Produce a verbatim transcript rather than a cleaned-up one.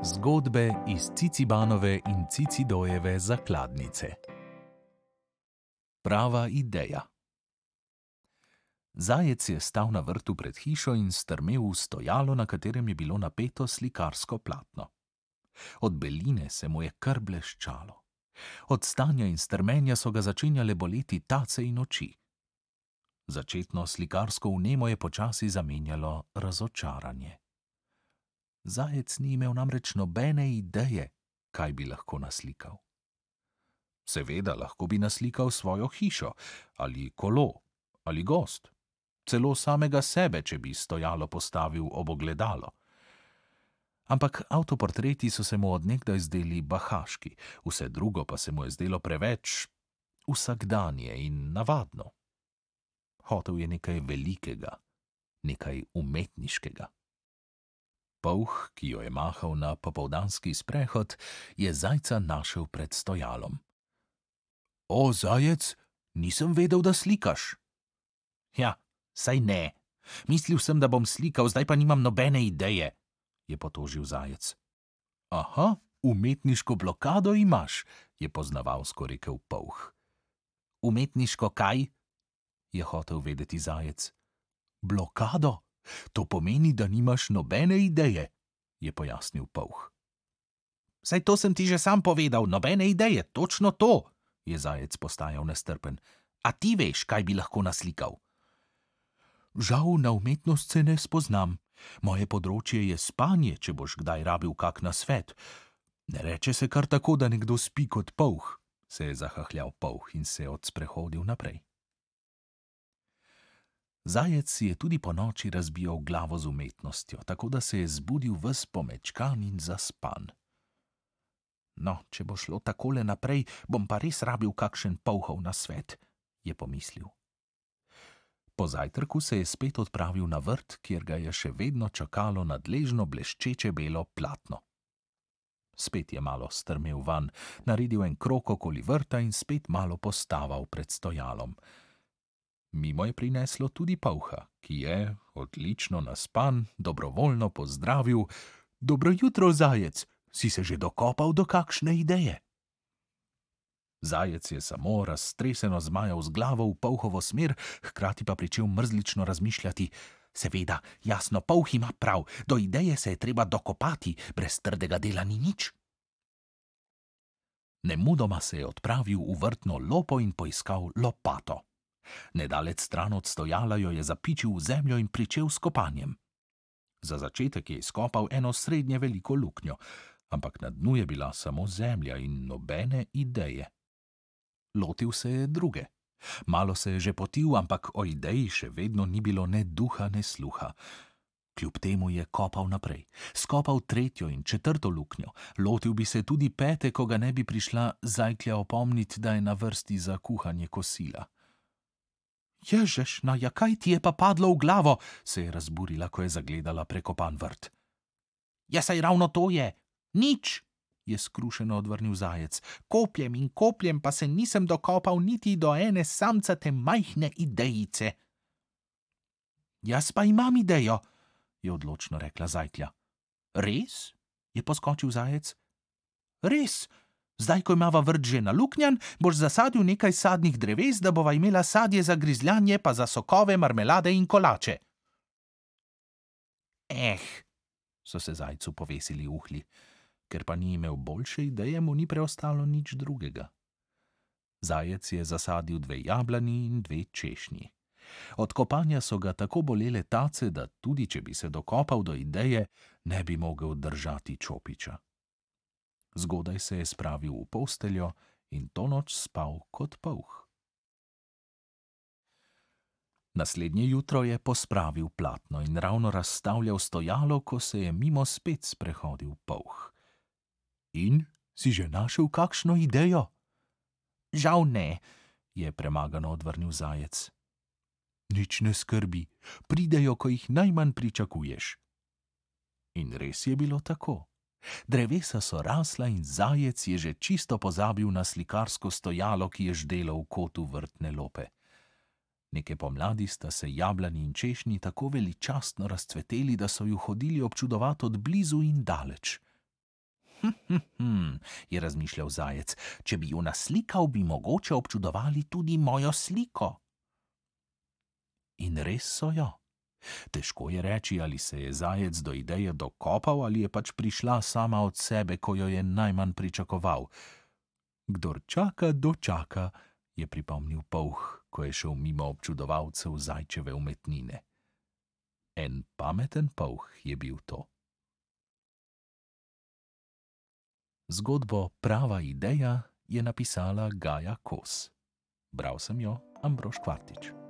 Zgodbe iz Cicibanove in Cicidojeve zakladnice. Prava ideja. Zajec je stal na vrtu pred hišo in strmel v stojalo, na katerem je bilo napeto slikarsko platno. Od beline se mu je kar bleščalo. Od stanja in strmenja so ga začenjale boleti tace in oči. Začetno slikarsko vnemo je počasi zamenjalo razočaranje. Zajec ni imel namreč nobene ideje, kaj bi lahko naslikal. Seveda, lahko bi naslikal svojo hišo, ali kolo, ali gozd, celo samega sebe, če bi stojalo postavil ob ogledalo. Ampak avtoportreti so se mu od nekdaj zdeli bahaški, vse drugo pa se mu je zdelo preveč vsakdanje in navadno. Hotel je nekaj velikega, nekaj umetniškega. Polh, ki jo je mahal na popoldanski sprehod, je zajca našel pred stojalom. O, zajec, nisem vedel, da slikaš. Ja, saj ne. Mislil sem, da bom slikal, zdaj pa nimam nobene ideje, je potožil zajec. Aha, umetniško blokado imaš, je poznavalsko rekel polh. Umetniško kaj? Je hotel vedeti zajec. Blokado? To pomeni, da nimaš nobene ideje, je pojasnil polh. Saj to sem ti že sam povedal, nobene ideje, točno to, je zajec postajal nestrpen. A ti veš, kaj bi lahko naslikal? Žal na umetnost se ne spoznam. Moje področje je spanje, če boš kdaj rabil kak nasvet. Ne reče se kar tako, da nekdo spi kot polh, se je zahahljal polh in se odsprehodil naprej. Zajec si je tudi ponoči razbijal glavo z umetnostjo, tako da se je zbudil ves pomečkan in zaspan. No, če bo šlo takole naprej, bom pa res rabil kakšen polhov nasvet, je pomislil. Po zajtrku se je spet odpravil na vrt, kjer ga je še vedno čakalo nadležno bleščeče belo platno. Spet je malo strmel van, naredil en krog okoli vrta in spet malo postaval pred stojalom. Mimo je prineslo tudi polha, ki je, odlično naspan, dobrovoljno pozdravil: Dobro jutro, zajec, si se že dokopal do kakšne ideje? Zajec je samo raztreseno zmajal z glavo v polhovo smer, hkrati pa pričel mrzlično razmišljati: Seveda, jasno, polh ima prav, do ideje se je treba dokopati, brez trdega dela ni nič. Nemudoma se je odpravil v vrtno lopo in poiskal lopato. Nedalec stran od stojala jo je zapičil v zemljo in pričel s kopanjem. Za začetek je izkopal eno srednje veliko luknjo, ampak na dnu je bila samo zemlja in nobene ideje. Lotil se je druge. Malo se je že potil, ampak o ideji še vedno ni bilo ne duha, ne sluha. Kljub temu je kopal naprej. Skopal tretjo in četrto luknjo. Lotil bi se tudi pete, ko ga ne bi prišla zajklja opomnit, da je na vrsti za kuhanje kosila. Ježeš, na ja, kaj ti je pa padlo v glavo, se je razburila, ko je zagledala prekopan vrt. Ja, saj ravno to je. Nič, je skrušeno odvrnil zajec. Kopljem in kopljem pa se nisem dokopal niti do ene samcate majhne idejice. Jaz pa imam idejo, je odločno rekla zajklja. Res? Je poskočil zajec. Res? Zdaj, ko imava vrt že naluknjan, boš zasadil nekaj sadnih dreves, da bova imela sadje za grizljanje, pa za sokove, marmelade in kolače. Eh, so se zajcu povesili uhlji. Ker pa ni imel boljše ideje, mu ni preostalo nič drugega. Zajec je zasadil dve jablani in dve češnji. Od kopanja so ga tako bolele tace, da tudi če bi se dokopal do ideje, ne bi mogel držati čopiča. Zgodaj se je spravil v posteljo in to noč spal kot polh. Naslednje jutro je pospravil platno in ravno razstavljal stojalo, ko se je mimo spet sprehodil polh. In si že našel kakšno idejo? Žal ne, je premagano odvrnil zajec. Nič ne skrbi, pridejo, ko jih najmanj pričakuješ. In res je bilo tako. Drevesa so rasla in zajec je že čisto pozabil na slikarsko stojalo, ki je ždelo v kotu vrtne lope. Neke pomladi sta se jablani in češnji tako veličastno razcveteli, da so ju hodili občudovat od blizu in daleč. Hm, hm, hm, je razmišljal zajec, če bi jo naslikal, bi mogoče občudovali tudi mojo sliko. In res so jo. Težko je reči, ali se je zajec do ideje dokopal ali je pač prišla sama od sebe, ko jo je najmanj pričakoval. Kdor čaka, dočaka, je pripomnil polh, ko je šel mimo občudovalcev zajčeve umetnine. En pameten polh je bil to. Zgodbo Prava ideja je napisala Gaja Kos. Bral sem jo Ambrož Kvartič.